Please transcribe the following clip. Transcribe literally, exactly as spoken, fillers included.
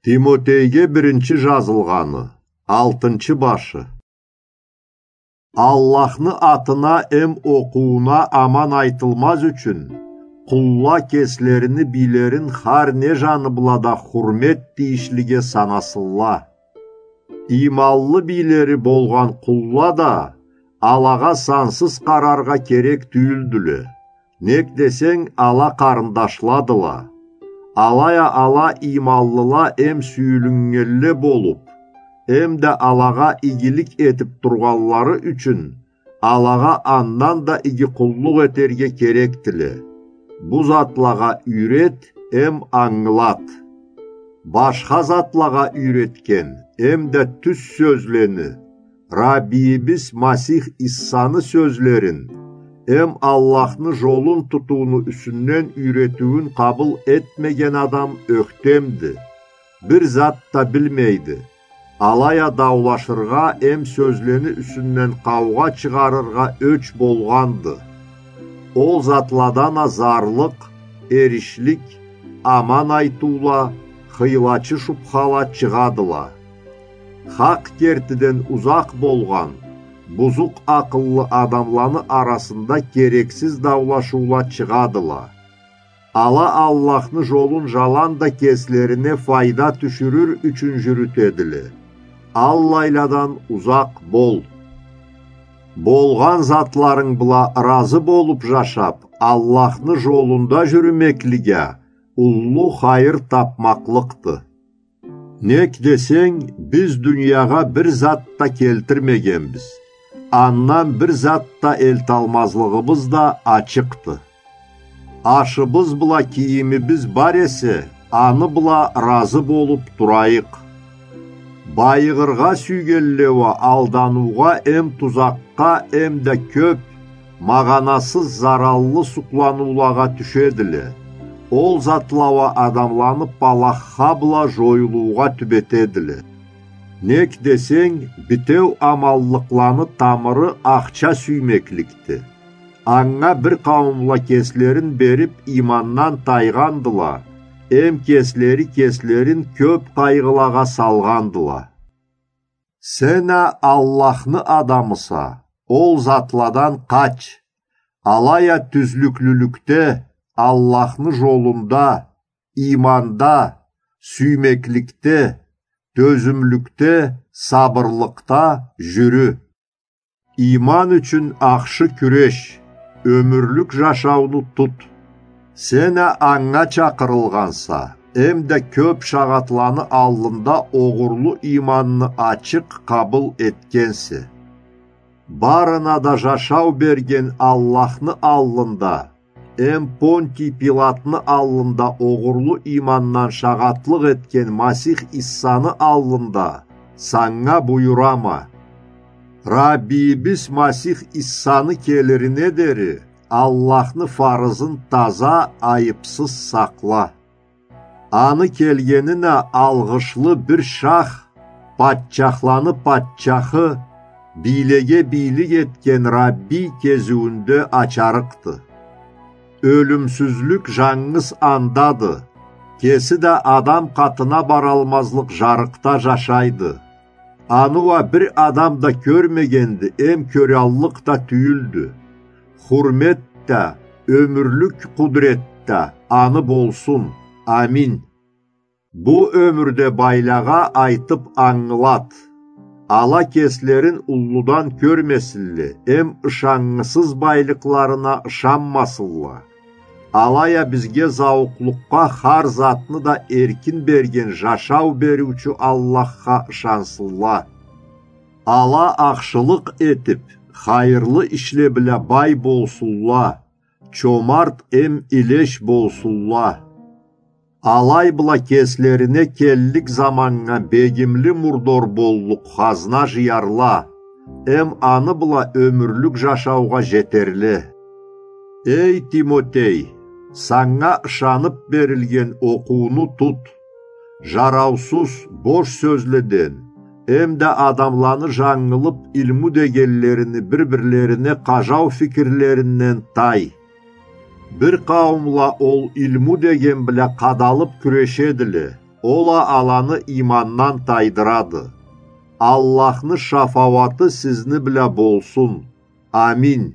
Тимотейге биринчи жазылгъаны, алтынчы башы. Аллахны атына эм окъууна аман айтылмаз ючюн, къулла кеслерини бийлерин хар не жаны бла да хурмет тийишлиге санасынла. Ийманлы бийлери болгъан къулла да алагъа сансыз къараргъа керек тюйюлдюле. Нек десенг, ала къарындашладыла. Алай а ала ийманлыла эм сюйюлюннгенле болуп, эм да алагъа игилик этип тургъанлары ючюн, алагъа андан да иги къуллукъ этерге керекдиле. Бу затлагъа юйрет эм ангылат. Башха затлагъа юйретген эм да тюз сёзлени, Раббийибиз Масих Иссаны сёзлерин эм Аллахны жолун тутууну юсюнден юйретиуюн къабыл этмеген адам ёхтемди, бир зат да билмейди. Алай а даулашыргъа эм сёзлени юсюнден къаугъа чыгъарыргъа ёч болгъанды. Ол затладан а зарлыкъ, эришлик, аман айтыула, хыйлачы шубхала чыгъадыла. Хакъ кертиден узакъ болгъан, бузукъ акъыллы адамланы арасында керексиз даулашыула чыгъадыла. Ала Аллахны жолун жаланда кеслерине файда тюшюрюр ючюн жюрютедиле. Аллайладан узакъ бол. Болгъан затларынг бла ыразы болуп жашап, Аллахны жолунда жюрюмеклик а уллу хайыр тапмакълыкъды. Нек десенг, биз дуниягъа бир зат да келтирмегенбиз. Андан бир зат да элталмазлыгъыбыз да ачыкъды. Ашыбыз бла кийимибиз бар эсе, аны бла ыразы болуп турайыкъ. Байыгъыргъа сюйгенле уа алдануугъа эм тузакъгъа эм да кёп, магъанасыз зараллы сукъланыулагъа тюшедиле. Ол затла уа адамланы палахха бла жоюлуугъа тюбетедиле. Нек десенг, битеу аманлыкъланы тамыры ахча сюймекликди. Анга бир къауумла кеслерин берип, иймандан тайгъандыла, эм кеслери кеслерин кёп къайгъылагъа салгъандыла. Сен а Аллахны адамыса, ол затладан къач. Алай а тюзлюклюлюкде, Аллахны жолунда, ийманда, сюймекликде, тёзюмлюкде, сабырлыкъда жюрю. Ийман ючюн ахшы кюреш, ёмюрлюк жашауну тут. Сен а анга чакъырылгъанса, эм да кёп шагъатланы аллында огъурлу ийманны ачыкъ къабыл этгенсе. Барына да жашау берген Аллахны аллында, эм Понтий Пилатны аллында огъурлу иймандан шагъатлыкъ этген Масих Иссаны аллында санга буюрама. Раббийибиз Масих Иссаны келирине дери Аллахны фарызын таза, айыпсыз сакъла. Аны келгенин а алгъышлы бир шах, патчахланы патчахы, бийлеге бийлик этген Раббий кезиуюнде ачарыкъды. Ёлюмсюзлюк жангыз андады, кеси да адам къатына баралмазлыкъ жарыкъда жашайды. Аны уа бир адам да кёрмегенди, эм кёраллыкъ да тюйюлдю. Хурмет да, ёмюрлюк къудрет да аны болсун. Амин. Бу ёмюрде байлагъа айтып ангылат. Ала кеслерин уллудан кёрмесинле, эм ышаннгысыз байлыкъларына ышанмасынла. Алай а бизге зауукълукъгъа хар затны да эркин берген жашау бериучю Аллахха ышансынла. Ала ахшылыкъ этип, хайырлы ишле бла бай болсунла, чомарт эм илеш болсунла. Алай бла кеслерине келлик заманнга бегимли мурдор боллукъ хазна жыярла, эм аны бла ёмюрлюк жашаугъа жетерле. Эй, Тимотей, санга ышанып берилген окъууну тут. Жараусуз, бош сёзледен, эм да адамланы жангылып илму дегенлерини бир-бирлерине къажау фикирлеринден тай. Бир къауумла ол илму деген бла къадалып кюрешедиле, Ол а аланы иймандан тайдырады. Аллахны шафауаты сизни бла болсун. Аминь.